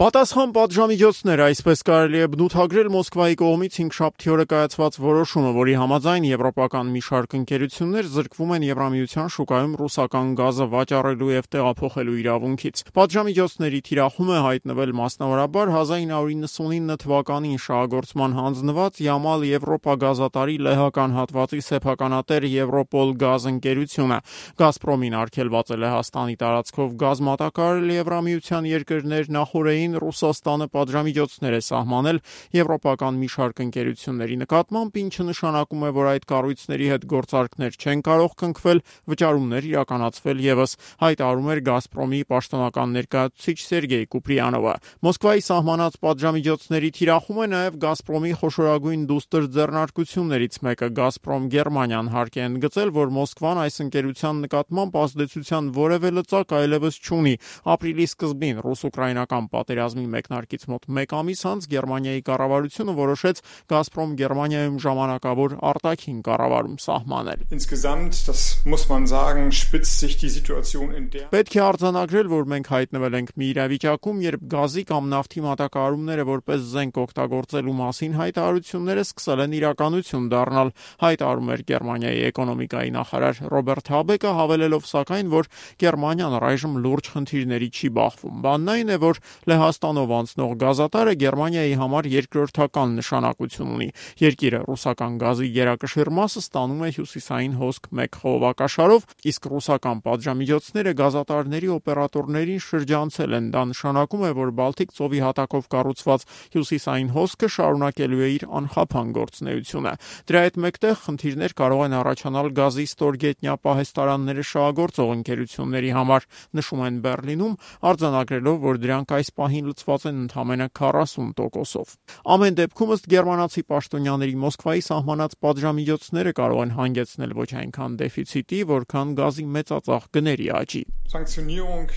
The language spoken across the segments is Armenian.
Պատասխան պատժամիջոցներ, այսպես կարելի է բնութագրել Մոսկվայի կողմից հինգշաբթի օրը կայացված որոշումը, որի համաձայն եվրոպական մի շարք ընկերություններ զրկվում են Եվրամիության շուկայում ռուսական գազը վաճառելու եւ տեղափոխելու իրավունքից։ Պատժամիջոցների թիրախում է հայտնվել մասնավորաբար 1999 թվականին շահագործման հանձնված Յամալ Եվրոպա գազատարի լեհական հատվածի սեփականատեր Եվրոպոլ գազ ընկերությունը։ Գազպրոմին արգելված է Լեհաստանի տարածքով գազ մատակարարել Եվրամիության երկրներ նախորդին Ռուսաստանը պատժամիջոցներ է սահմանել եվրոպական մի շարք ընկերությունների նկատմամբ, ինչը նշանակում է, որ այդ կառույցների հետ գործարքներ չեն կարող կնքվել, վճարումներ իրականացվել եւս, հայտարարում էր Գազպրոմի պաշտոնական ներկայացուցիչ Սերգեյ Կուպրիանովը։ Մոսկվայի սահմանած պատժամիջոցների թիրախում է նաեւ Գազպրոմի խոշորագույն դուստր ձեռնարկություններից մեկը։ Գազպրոմ Գերմանիան հարկ է ընդգծել, որ Մոսկվան այս ընկերության նկատմամբ ազդեցության որևէ լծակ այլևս չունի։ Ապրիլի սկզբին ռուս-ուկրաինական պատերազմի մեկնարկից մոտ 1 ամիս անց Գերմանիայի կառավարությունը որոշեց Գազպրոմ Գերմանիայում ժամանակավոր արտաքին կառավարում սահմանել։ Insgesamt, das muss man sagen, spitzt sich die Situation in der Պետք է արձանագրել, որ մենք հայտնվել ենք մի իրավիճակում, երբ գազի կամ նավթի մատակարարումները որպես զենք օգտագործելու մասին հայտարարությունները սկսել են իրականություն դառնալ, հայտարարում էր Գերմանիայի էկոնոմիկայի նախարար Ռոբերտ Հաբեկը, հավելելով սակայն, որ Գերմանիան առայժմ լուրջ խնդիրների չի բախվում։ Բանն այն է, որ Լեհաստանով անցնող գազատարը Գերմանիայի համար երկրորդական նշանակություն ունի։ Երկիրը ռուսական գազի գերակշիռ մասը ստանում է հյուսիսային հոսք 1 խողովակաշարով, իսկ ռուսական պատժամիջոցները գազատարների օպերատորներին շրջանցել են։ Դա նշանակում է, որ Բալթիկ ծովի հատակով կառուցված հյուսիսային հոսքը շարունակելու է իր անխափան գործունեությունը։ Դրա հետ մեկտեղ խնդիրներ կարող են առաջանալ գազի ստորգետնյա պահեստարանները շահագործող ընկերությունների համար, նշում են Բեռլինում, արձանագրելով, որ դրանք այս պահին լցված են ընդամենը 40%-ով։ Ամեն դեպքում ըստ գերմանացի պաշտոնյաների Մոսկվայի սահմանած պատժամիջոցները կարող են հանգեցնել ոչ այնքան դեֆիցիտի, որքան գազի մեծածախ գների աճի։ Sanktionierung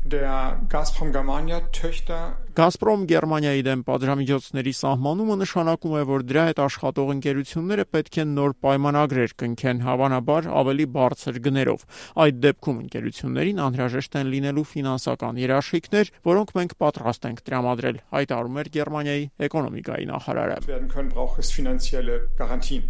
der Gazprom-Germania-Töchter Գազպրոմ Գերմանիայի դեմ պատժամիջոցների սահմանումը նշանակում է, որ դրա հետ աշխատող ընկերությունները պետք է նոր պայմանագրեր կնքեն, հավանաբար ավելի բարձր գներով։ Այդ դեպքում ընկերություններին անհրաժեշտ են լինելու ֆինանսական երաշխիքներ, որոնք մենք պատրաստ ենք տրամադրել, հայտարարում էր Գերմանիայի էկոնոմիկայի նախարարը։ werden können, braucht es finanzielle Garantien.